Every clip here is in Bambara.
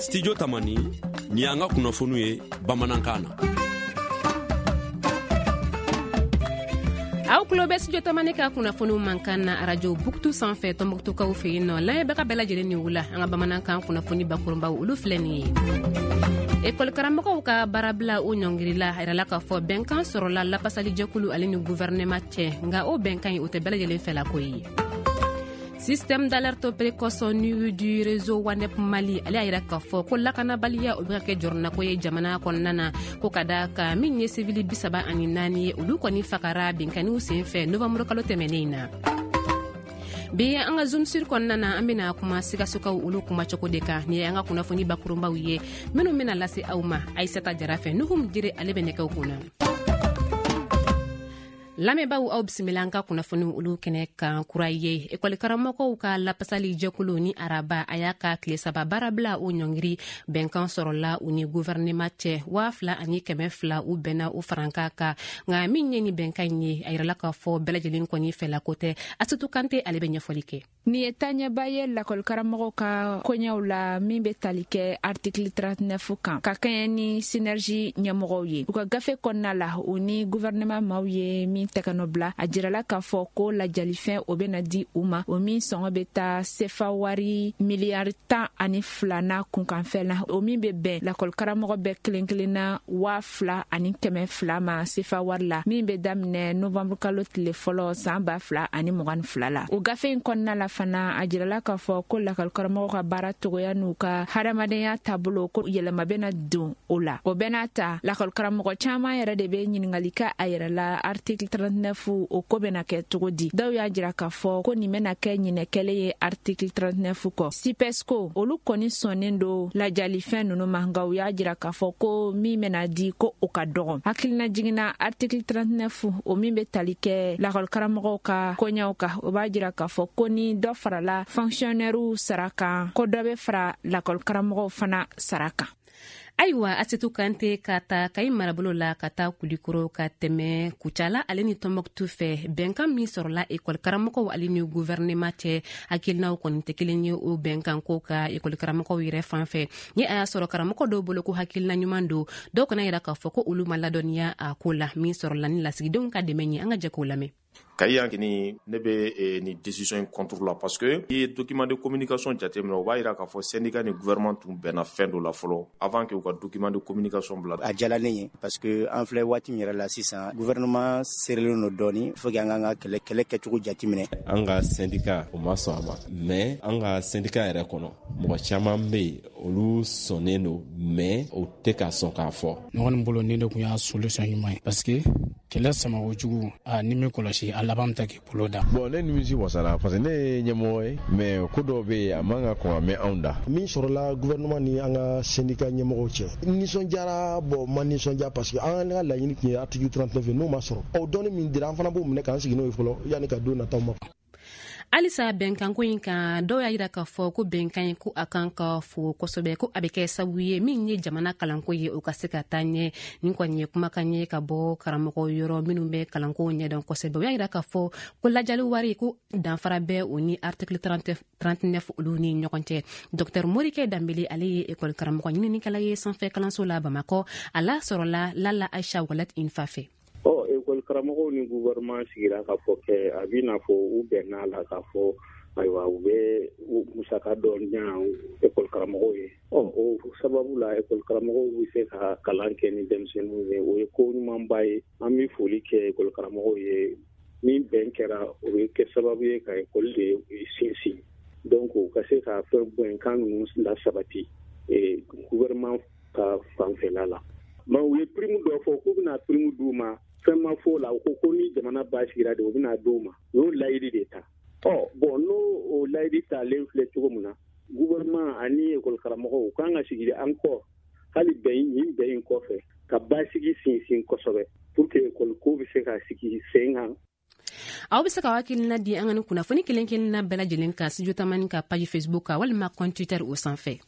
Studio Tamani nin y'an ka kunnafoniw ye bamanankan na. Aw tulo bɛ Studio Tamani ka kunnafoniw mankan na arajo Buktu sanfɛ Tɔnbɔkutukaw fɛ yen nɔ. Lamɛnbaga bɛɛ lajɛlen ni wula, an ka bamanankan kunnafoni bakurunbaw olu filɛ nin ye. Ekɔli karamɔgɔw ka baarabila o ɲɔngirila, a yirala k'a fɔ bɛnkan sɔrɔla lapasalijɛkulu ale ni guvɛrɛnɛma cɛ, nka o bɛnkan in o tɛ bɛɛ lajɛlen fɛlako ye. Système d'alerte précoce nu du réseau WANEP Mali ale y'a yira k'a fɔ ko lakanabaliya o bɛ ka kɛ jɔrɔnako ye jamana kɔnɔna na, ko ka da ka min ye sivili 34 ye, olu kɔni fagara binkanniw senfɛ novembre kalo tɛmɛnen in na. Bi an ka zoom sur kɔnɔna na, an bɛna kuma Sikasokaw olu kumacogo de kan. Nin ye an ka kunnafoni bakurunbaw ye minnu bɛna lase aw ma Ayisata Jara fɛ. Nuhum Jire ale bɛ nɛgɛw kunna. Lamɛnbaaw, aw bisimila an ka kunnafoniw olu kɛnɛ kan kura ye. Ekɔli karamɔgɔw ka lapasali jɛkulu ni araba a y'a ka tile 3 baarabila o ɲɔngiri, bɛnkan sɔrɔla u ni guvɛrɛnema cɛ. 2200 u bɛnna o farankan kan, nka min ye ni bɛnkan in ye, a yirala k'a fɔ bɛɛ lajɛlen kɔni fɛlako tɛ. Asitu Kante ale bɛ ɲɛfɔli kɛ. Nin ye taaɲɛba ye lakɔlikaramɔgɔw ka koɲɛw la min bɛ tali kɛ article 39 kan, ka kɛɲɛ ni synergie ɲɛmɔgɔw ye. U ka gafe kɔnɔna la, u ni gouvernement maaw ye min tɛgɛnɔ bila, a jirala k'a fɔ ko lajalifɛn o bɛna di u ma, o min sɔngɔ bɛ taa sefa wari miliyari 12 na kunkanfɛn na, o min bɛ bɛn lakɔlikaramɔgɔ bɛɛ kelen kelenna 2200 ma sefa wari la, min bɛ daminɛ novembre kalo tile fɔlɔ san 2022 la. O gafe in kɔnɔna la fana, a jirala k'a fɔ ko lakɔlikaramɔgɔw ka baara cogoya n'u ka hadamadenya taabolo, ko yɛlɛma bɛna don o la. O bɛɛ n'a ta, lakɔlikaramɔgɔ caman yɛrɛ de bɛ ɲininkali kɛ a yɛrɛ la, article 39 o ko bɛna kɛ cogo di. Dɔw y'a jira k'a fɔ ko nin bɛna kɛ ɲinɛ kɛlen ye article 39 kɔ. SYPESCO olu kɔni sɔnnen don lajalifɛn ninnu ma, nka u y'a jira k'a fɔ ko min bɛna di ko o ka dɔgɔn. Hakilina jiginna, article 39 o min bɛ tali kɛ lakɔlikaramɔgɔw ka koɲɛw kan, o b'a jira k'a fɔ ko ni dɔ farala fonctionnairew sara kan, ko dɔ bɛ fara lakɔlikaramɔgɔw fana sara kan. Ayiwa, Asetu Kante, ka ta Kayi marabolo la ka taa Kulikoro ka tɛmɛ Kucala ale ni Tɔnbɔkutu fɛ, bɛnkan min sɔrɔla ekɔli karamɔgɔw ale ni guvɛrɛnema cɛ, hakilinaw kɔni tɛ kelen ye o bɛnkan ko ka ekɔli karamɔgɔw yɛrɛ fan fɛ. Ni a y'a sɔrɔ karamɔgɔ dɔw bolo ko hakilina ɲuman don, dɔw kana yira k'a fɔ ko olu ma ladɔnniya a ko la min sɔrɔla ni lasigidenw ka dɛmɛ ye. An ka jɛ k'o lamɛn. Kayi yan kini, ne bɛ nin décision in contre la, parce que i ye document de communication jateminɛ, o b'a yira k'a fɔ syndicat ni gouvernement tun bɛnna fɛn dɔ la fɔlɔ avant que u ka document de communication bila. A diyala ne ye, parce que an filɛ waati min yɛrɛ la sisan, gouvernement serelen don dɔɔni, faut que an k'an ka kɛlɛ kɛcogo jateminɛ. An ka syndicat o ma sɔn a ma, mais an ka syndicat yɛrɛ kɔnɔ, mɔgɔ caman bɛ yen, olu sɔnnen don, mais o tɛ ka sɔn k'a fɔ. Ne kɔni bolo, nin de tun y'a solution ɲuman ye, parce que kɛlɛ sama kojugu, a ni min kɔlɔsi, a laban bɛ taa k'i bolo da. Bon, ne nimisi wasara, parce que ne ye ɲɛmɔgɔ ye, mais ko dɔw bɛ yen, a man ka kɔn ka mɛn anw da. Min sɔrɔla gouvernement ni an ka syndicat ɲɛmɔgɔw cɛ, nisɔndiyara. Bon, ma nisɔndiya, parce que an ka laɲini tun ye article 39 ye, n'o ma sɔrɔ, ɔ dɔɔni min dira, an fana b'o minɛ k'an sigi n'o ye fɔlɔ yanni ka don nataw ma. Halisa bɛnkanko in kan, dɔw y'a yira k'a fɔ ko bɛnkan ye ko a kan ka fo kosɛbɛ, ko a bɛ kɛ sababu ye min ye jamana kalanko ye o ka se ka taa ɲɛ. Nin kɔni ye kumakan ye ka bɔ karamɔgɔ yɔrɔ minnu bɛ kalanko ɲɛdɔn kosɛbɛ. O y'a yira k'a fɔ ko lajali wari ko danfara bɛ o ni article 39 olu ni ɲɔgɔn cɛ. Dr Morikɛ Danbele, ale ye ekɔli karamɔgɔ ɲininikɛla ye sanfɛ kalanso la Bamakɔ, a la sɔrɔla Lala Aisha Walat Infa fɛ. Ɔ ekɔli karamɔgɔw ni gouvernement sigira ka fɔ kɛ, a b'i n'a fɔ u bɛnna la k'a fɔ ayiwa, u bɛ musaka dɔ ɲa ekɔli karamɔgɔw ye. Ɔ o sababu la, ekɔli karamɔgɔw bɛ se ka kalan kɛ ni denmisɛnninw ye. O ye ko ɲumanba ye, an bɛ foli kɛ ekɔli karamɔgɔw ye. Ni bɛn kɛra, o bɛ kɛ sababu ye ka ekɔli de sinsin, donc u ka se ka fɛn bɛnkan ninnu lasabati gouvernement ka fanfɛla la. Mais u ye prime dɔ fɔ k'u bɛna prime d'u ma, fɛn ma fɔ o la. U ko ko ni jamana basigira de, u bɛna d'u ma. U y'o layidi de ta. Ɔ bon, n'o o layidi talen filɛ cogo min na, gouvernement ani ekɔli karamɔgɔw u kan ka sigi an kɔ hali bɛn nin bɛn in kɔfɛ ka basigi sinsin kosɛbɛ pour que ekɔli ko bɛ se ka sigi sen kan. Aw bɛ se ka hakilina di an ka ni kunnafoni kelen kelenna bɛɛ lajɛlen kan Studio Tamani ka page Facebook kan walima compte Twitter o sanfɛ.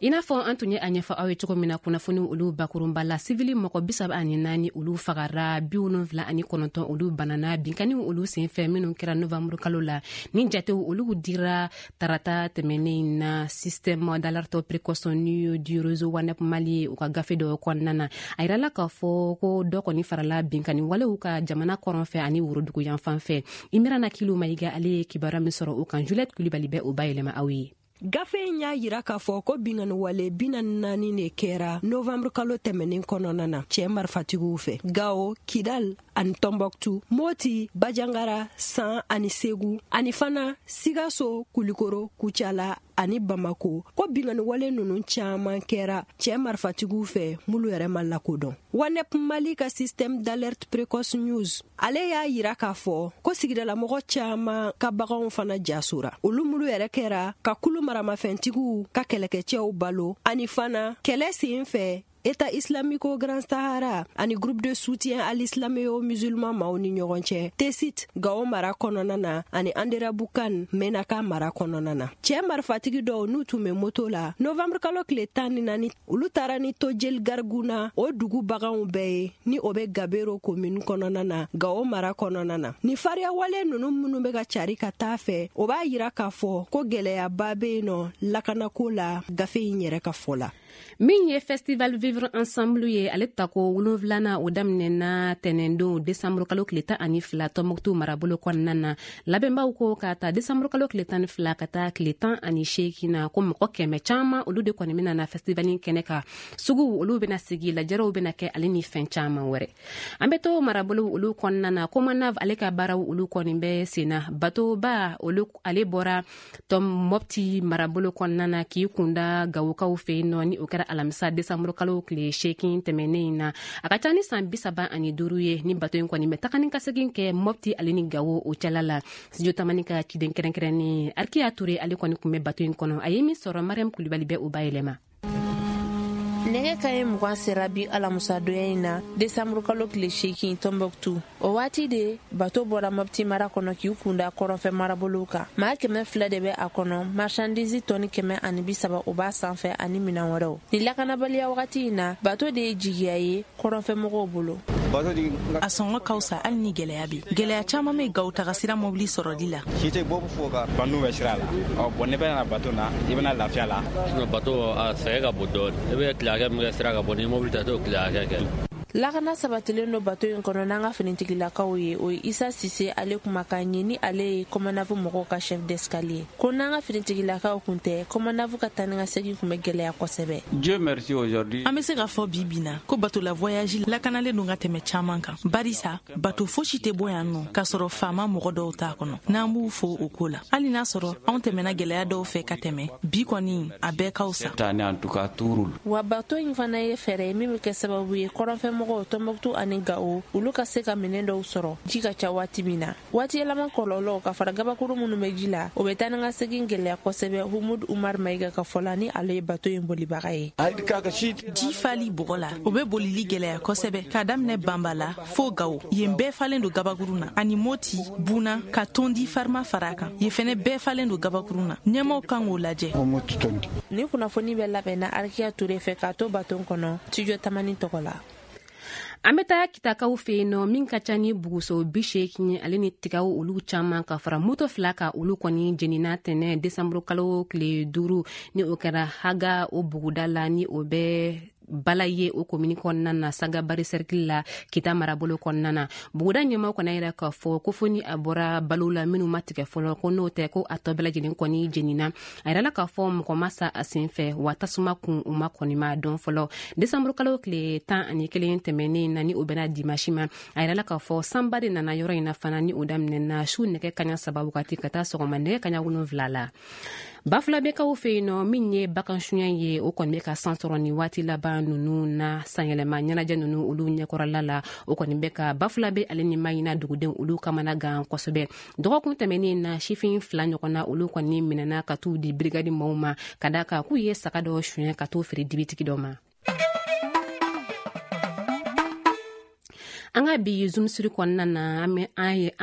I n'a fɔ an tun ye a ɲɛfɔ aw ye cogo min na kunnafoni olu bakurunba la, sivili mɔgɔ 34 olu fagara, 79 olu banana binkanniw olu senfɛ minnu kɛra novanburu kalo la. Ni jatew olu dira tarata tɛmɛnen na système d'alerte précoce du réseau WANEP Mali u ka gafe dɔ kɔnɔna na, a yirala k'a fɔ ko dɔ kɔni farala binkanni walew ka jamana kɔrɔn fɛ ani worodugu yanfan fɛ. Imirana Kilu Mayiga, ale ye kibaruya min sɔrɔ o kan, Juliette Kulibali bɛ o bayɛlɛma aw ye. Gafe in y'a yira k'a fɔ ko binkanni wale 44 de kɛra novembre kalo tɛmɛnen kɔnɔna na cɛɛ marifatigiw fɛ Gao, Kidal ani Tɔnbɔkutu, Moti, Bajangara, San ani Segu, ani fana Sikaso, Kulikoro, Kucala ani Bamako. Ko binkanni wale nunu caaman kɛra cɛɛ marifatigiw fɛ minnu yɛrɛ ma lakodɔn. WANEP Mali ka système d'alerte précoce news, ale y'a yira k'a fɔ ko sigidalamɔgɔ caaman ka baganw fana jasora, olu minnu yɛrɛ kɛra ka kulu maramafɛntigiw ka kɛlɛkɛcɛw balo, ani fana kɛlɛ sen fɛ État islamique au Grand Sahara ani groupe de soutien à l'islam et aux musulmans maaw ni ɲɔgɔn cɛ Tesit, Gao mara kɔnɔna na, ani Anderabukan, Menaka mara kɔnɔna na. Cɛɛ marifatigi dɔw n'u tun bɛ moto la, novembre kalo tile 14, olu taara ni Tojel Garguna o dugu baganw bɛɛ ye, ni o bɛ Gabero commune kɔnɔna na, Gao mara kɔnɔna na. Ni fariyawale nunu minnu bɛ ka cari ka taa fɛ, o b'a yira k'a fɔ ko gɛlɛyaba bɛ yen nɔ lakanako la, gafe in yɛrɛ ka fɔ la. Min ye festival Vivre Ensemble ye, ale tako 7nan o daminɛna tɛnɛndon desanburu kalo tile 12 Tɔnbɔkutu marabolo kɔnɔna na. Labɛnbaw ko k'a ta desanburu kalo tile 12 ka taa tile 18 na, ko mɔgɔ 100 caman olu de kɔni bɛna na festival in kɛnɛ kan. Suguw olu bɛna sigi, lajɛrɛw bɛna kɛ, ale ni fɛn caman wɛrɛ. An bɛ to marabolo olu kɔnɔna na. Komanav ale ka baaraw olu kɔni bɛ senna. Batoba olu ale bɔra tɔm Mɔpti marabolo kɔnɔna na k'i kunda Gawokaw fɛ yen nɔ, ni o kɛra alamisa desanburu kalo tile 8 tɛmɛnen in na. A ka ca ni san 35 ye ni bato in kɔni bɛ taga ni ka segin kɛ Mɔpti ale ni Gawo o cɛla la. Studio Tamani ka ciden kɛrɛnkɛrɛnnen Arkiya Ture, ale kɔni tun bɛ bato in kɔnɔ. A ye min sɔrɔ, Mariam Kulibali bɛ o bayɛlɛma. Nɛgɛ kaɲɛ 20 sera bi alamusadonya in na desanburu kalo tile 8 Tɔnbɔkutu. O waati de bato bɔra Mɔpti mara kɔnɔ k'i kunda kɔrɔnfɛ marabolow kan. Maa 200 de bɛ a kɔnɔ, marchandise tɔni 130 o b'a sanfɛ ani minɛn wɛrɛw. Ni lakanabaliya wagati in na, bato de ye jigiya ye kɔrɔnfɛ mɔgɔw bolo. A sɔngɔ ka fisa hali ni gɛlɛya bɛ. Gɛlɛya caman bɛ Gawo taga sira mobili sɔrɔli la. Si tɛ bɔ fo ka bandu bɛ sira la. Ɔ bɔn ne bɛna bato na, i bɛna lafiya la. Bato a sɛgɛn ka bon dɔɔnin. I bɛ tile hakɛ min kɛ sira ka bɔ, ni mobili ta t'o tile hakɛ kɛ. Lakana sabatilen don bato in kɔnɔ n'an ka finitigilakaw ye. O ye Isa Sise ale kumakan ye, ni ale ye Kɔmanavu mɔgɔw ka chef d'escale ye. Ko n'an ka finitigilakaw kun tɛ, Kɔmanavu ka taa ni ka segin kun bɛ gɛlɛya kosɛbɛ. Dieu merci aujourd'hui. An bɛ se k'a fɔ bi bi na ko bato la voyage lakanalen don ka tɛmɛ caman kan, barisa bato fosi tɛ bɔ yan nɔ k'a sɔrɔ faama mɔgɔ dɔw t'a kɔnɔ. N'an b'u fo o ko la, hali n'a sɔrɔ anw tɛmɛna gɛlɛya dɔw fɛ ka tɛmɛ, bi kɔni a bɛɛ ka fisa. Wa bato in fana ye fɛɛrɛ ye min bɛ kɛ sababu ye kɔrɔnfɛ mɔgɔw Tɔnbɔkutu ani Gawo olu ka se ka minɛn dɔw sɔrɔ ji ka ca waati min na. Waati yɛlɛma kɔlɔlɔw ka fara gabakuru minnu bɛ ji la, o bɛ taa ni ka segin gɛlɛya kosɛbɛ. Humudu Umar Mayiga ka fɔ la, ni ale ye bato in bolibaga ye. Ji fali bɔgɔ la, o bɛ bolili gɛlɛya kosɛbɛ k'a daminɛ Banba la fo Gawo. Yen bɛɛ falen don gabakuru na, ani Moti, Buna ka tondi farima fara a kan, yen fɛnɛ bɛɛ falen don gabakuru na. Ɲɛmaw kan k'o lajɛ. Ni kunnafoni bɛ labɛnna Arikiya Ture fɛ k'a to bato kɔnɔ, Studio Tamani tɔgɔ la. An bɛ taa Kitakaw fɛ yen nɔ, min ka ca ni buguso 80 ale ni tigaw olu caman ka fara moto 2 kan, olu kɔni jenina tɛnɛ desanburu kalo tile 5, ni o kɛra Haga o buguda la, ni o bɛ bala ye o komini kɔnɔna na, Sagabari cercle la, Kita marabolo kɔnɔna na. Buguda ɲɛmaw kɔni yɛrɛ k'a fɔ ko fo ni a bɔra balo la minnu ma tigɛ fɔlɔ, ko n'o tɛ ko a tɔ bɛɛ lajɛlen kɔni jenina. A yirala k'a fɔ mɔgɔ ma sa a sen fɛ, wa tasuma kun u ma kɔni ma dɔn fɔlɔ. Desanburu kalo tile 11 tɛmɛnen na, ni o bɛnna dimasi ma, a yirala k'a fɔ sanba de nana yɔrɔ in na fana, ni o daminɛna su nɛgɛ kaɲa 3 wagati ka taa sɔgɔma nɛgɛ kaɲa 7 la. Bafulabɛkaw fɛ yen nɔ, min ye bagan suɲɛ ye, o kɔni bɛ ka san sɔrɔ nin waati laban ninnu na. Sanyɛlɛma ɲɛnajɛ ninnu olu ɲɛkɔrɔla la, o kɔni bɛ ka Bafulabɛ ale ni Mayina dugudenw olu kamana gan kosɛbɛ. Dɔgɔkun tɛmɛnen na, sifin 2 ɲɔgɔn na olu kɔni minɛna ka t'u di brigade maaw ma, ka d'a kan k'u ye saga dɔ suɲɛ ka t'o feere dibitigi dɔ ma. An ka bi Zoom sur kɔnɔna na, an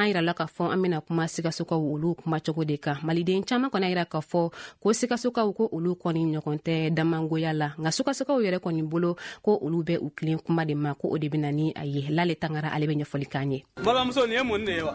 yirala k'a fɔ an bɛna kuma Sikasokaw olu kumacogo de kan. Maliden caman kɔni yira k'a fɔ ko Sikasokaw ko olu kɔni ɲɔgɔn tɛ damangoya la, nka Sikasokaw yɛrɛ kɔni bolo ko olu bɛ u tilen kuma de ma, ko o de bɛ na ni a ye. Lale Tangara ale bɛ ɲɛfɔli k'an ye. Balimamuso, nin ye mun de ye wa?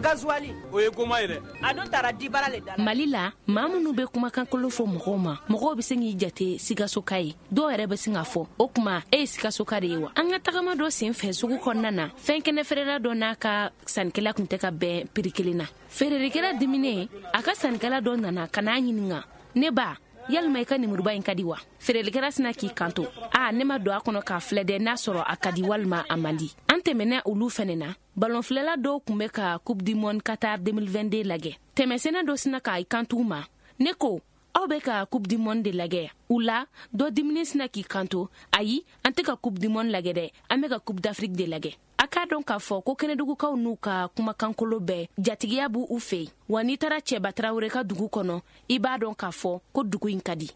Gazuwali. O ye goma ye dɛ. A dun taara dibara le da la. Mali la, maa minnu bɛ kumakankolo fɔ mɔgɔw ma, mɔgɔw bɛ se k'i jate Sikasoka ye. Dɔw yɛrɛ bɛ sin k'a fɔ o tuma e ye Sikasoka de ye wa? An ka tagama dɔ sen fɛ sugu kɔnɔna na, fɛn kɛnɛ feerela dɔ n'a ka sannikɛla tun tɛ ka bɛn prix kelen na. Feerelikɛla diminen, a ka sannikɛla dɔ nana ka n'a ɲininka: ne ba, yalima i ka nemuruba in ka di wa? Feerelikɛla sina k'i kanto: a ne ma don a kɔnɔ k'a filɛ dɛ, n'a sɔrɔ a ka di walima a man di. An tɛmɛna olu fɛnɛ na, balonfilɛla dɔw tun bɛ ka Coupe du monde Qatar 2022 lajɛ. Tɛmɛsɛnɛ dɔ sina k'a kanto u ma: ne ko aw bɛ ka Coupe du monde de lajɛ? U la dɔ diminen sina k'i kanto: ayi, an tɛ ka Coupe du monde lajɛ dɛ, an bɛ ka Coupe d'Afrique de lajɛ. A k'a dɔn k'a fɔ ko kɛnɛdugukaw n'u ka kumakankolo bɛɛ jatigiya b'u u fɛ yen. Wa n'i taara Cɛba Tarawele ka dugu kɔnɔ, i b'a dɔn k'a fɔ ko dugu in ka di.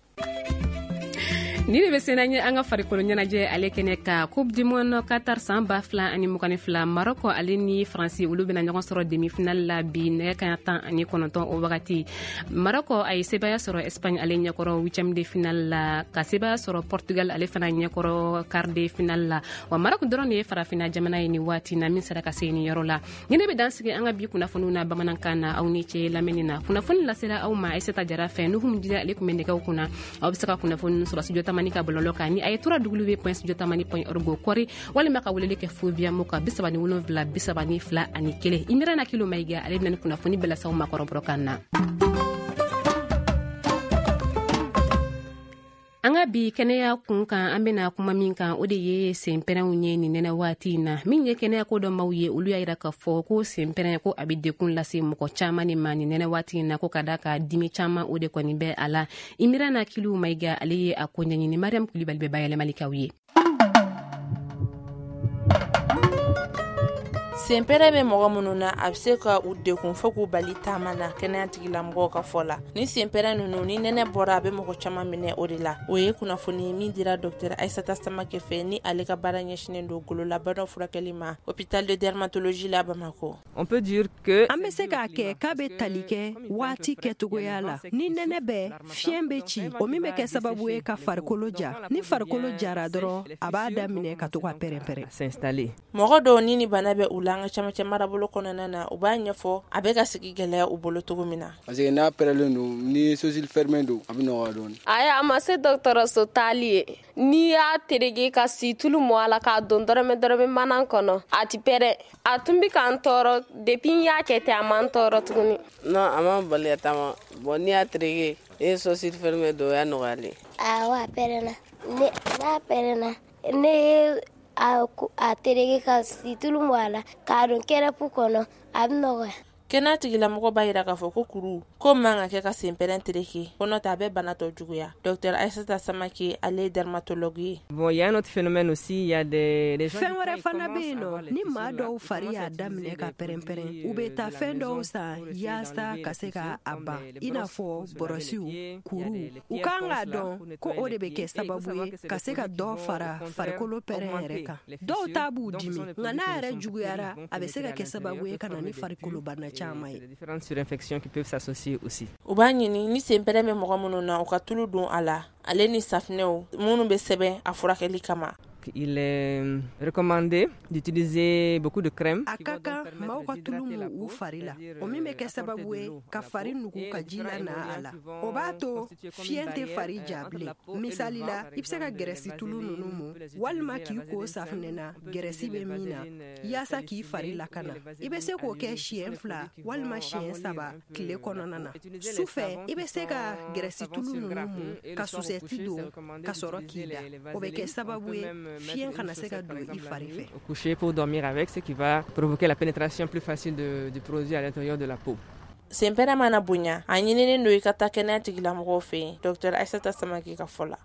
Ni de bɛ sena ye an ka farikolo ɲɛnajɛ ale kɛnɛ ka Coupe du monde Qatar san 2022, Maroc ale ni Faransi olu bɛna ɲɔgɔn sɔrɔ demi-finale la bi nɛgɛ kaɲa 19 o wagati. Maroc a ye sebaya sɔrɔ Espagne ale ɲɛkɔrɔ huitième de finale la, ka sebaya sɔrɔ Portugal ale fana ɲɛkɔrɔ quart de finale la. Wa Maroc dɔrɔn de ye farafinna jamana ye nin waati na min sera ka se nin yɔrɔ la. Ni ne bɛ dan sigi an ka bi kunnafoniw na bamanankan na, aw ni ce lamɛnni na. Kunnafoni lasera aw ma Aïssata Jara fɛ, Nuhum Jida ale tun bɛ nɛgɛw kunna. Aw bɛ se ka kunnafoni sɔrɔ studio Tamani ka bɔlɔlɔ kan ni a ye www.studiotamani.org kɔri, walima ka weleli kɛ fo via mo kan 37 32 1. Imirana Kilo Mayiga ale bɛna ni kunnafoni bɛɛ lase aw ma kɔrɔbɔrɔkan na. An ka bi kɛnɛya kun kan, an bɛna kuma min kan, o de ye senpɛrɛnw ye nin nɛnɛ waati in na. Min ye kɛnɛya ko dɔ maaw ye, olu y'a yira k'a fɔ ko senpɛrɛn ko a bɛ dekun lase mɔgɔ caman de ma nin nɛnɛ waati in na, ko ka da ka dimi caman o de kɔni bɛ a la. Imirana Kilu Mayiga ale ye a ko ɲɛɲini. Mariam Kulibali bɛ bayɛlɛmali k'aw ye. Senpɛrɛn bɛ mɔgɔ minnu na, a bɛ se ka u degun fo k'u bali taama na kɛnɛya tigilamɔgɔw ka fɔ la. Ni senpɛrɛn ninnu, ni nɛnɛ bɔra, a bɛ mɔgɔ caman minɛ o de la. O ye kunnafoni min dira Dr Aïssata Samake fɛ, ni ale ka baara ɲɛsinnen don gololabanaw furakɛli ma hôpital de dermatologie la Bamakɔ. On peut dire que an bɛ se k'a kɛ k'a bɛ tali kɛ waati kɛcogoya la. Ni nɛnɛ bɛ, fiɲɛ bɛ ci, o min bɛ kɛ sababu ye ka farikolo ja. Ni farikolo jara dɔrɔn, a b'a daminɛ ka to ka pɛrɛn-pɛrɛn. S'installer. Mɔgɔ dɔw ni bana bɛ u la an ka camancɛ marabolo kɔnɔna na, u b'a ɲɛfɔ a bɛ ka sigi gɛlɛya u bolo cogo min na. Parce que n'a pɛrɛlen don, ni sourcil fermé don, a bɛ nɔgɔya dɔɔnin. Ayi, a ma se dɔgɔtɔrɔso taali ye. N'i y'a terege ka situlu mɔ a la k'a don dɔrɔmɛ dɔrɔmɛ mana kɔnɔ, a ti pɛrɛn. A tun bɛ k'an tɔɔrɔ depuis n y'a kɛ ten, a ma n tɔɔrɔ tuguni. Non, a ma bali ka taama. Bon, n'i y'a terege, n'i ye sourcil fermé don, o y'a nɔgɔyalen. Awɔ, a pɛrɛnna. N'a pɛrɛnna, ne ye a tereke ka situlu mɔ a la k'a don kɛrɛpu kɔnɔ, a bɛ nɔgɔya. Kɛnɛya tigilamɔgɔ b'a yira k'a fɔ ko kuru ko man ka kɛ ka senpɛrɛn tereke, ko n'o tɛ a bɛ bana tɔ juguya. Dr Aïssata Samake ale ye dermatologue ye. Bon, il y a un autre phénomène aussi, il y a des gens. Fɛn wɛrɛ fana bɛ yen nɔ, ni maa dɔw fari y'a daminɛ ka pɛrɛn-pɛrɛn, u bɛ taa fɛn dɔw san yaasa ka se ka a ban, i n'a fɔ bɔrɔsiw, kuruw. U kan k'a dɔn ko o de bɛ kɛ sababu ye ka se ka dɔ fara farikolo pɛrɛn yɛrɛ kan. Dɔw ta b'u dimi, nka n'a yɛrɛ juguyara, a bɛ se ka kɛ sababu ye ka na ni farikolobana caman ye. Différentes surinfections qui peuvent s'associer aussi. U b'a ɲini ni senpɛrɛn bɛ mɔgɔ minnu na, u ka tulu don a la, ale ni safinɛw minnu bɛ sɛbɛn a furakɛli kama. Il est recommandé d'utiliser beaucoup de crème. A ka kan maaw ka tulu mu u fari la, o min bɛ kɛ sababu ye ka fari nugu ka ji la na a la. O b'a to fiɲɛ tɛ fari ja bilen. Misali la, i bɛ se ka gɛrɛsi tulu ninnu mu, walima k'i ko safunɛ na gɛrɛsi bɛ min na, yaasa k'i fari lakana. I bɛ se k'o kɛ siɲɛ 2 walima siɲɛ 3 tile kɔnɔna na. Su fɛ, i bɛ se ka gɛrɛsi tulu ninnu mu ka susɛti don ka sɔrɔ k'i da. O bɛ kɛ sababu ye fiɲɛ kana se ka don i fari fɛ. Coucher pour dormir avec, ce qui va provoquer la pénétration plus facile du produit à l'intérieur de la peau. Senpɛrɛn mana bonya, a ɲininen don i ka taa kɛnɛya tigilamɔgɔw fɛ yen, Dr Aïssata Samake ka fɔ la.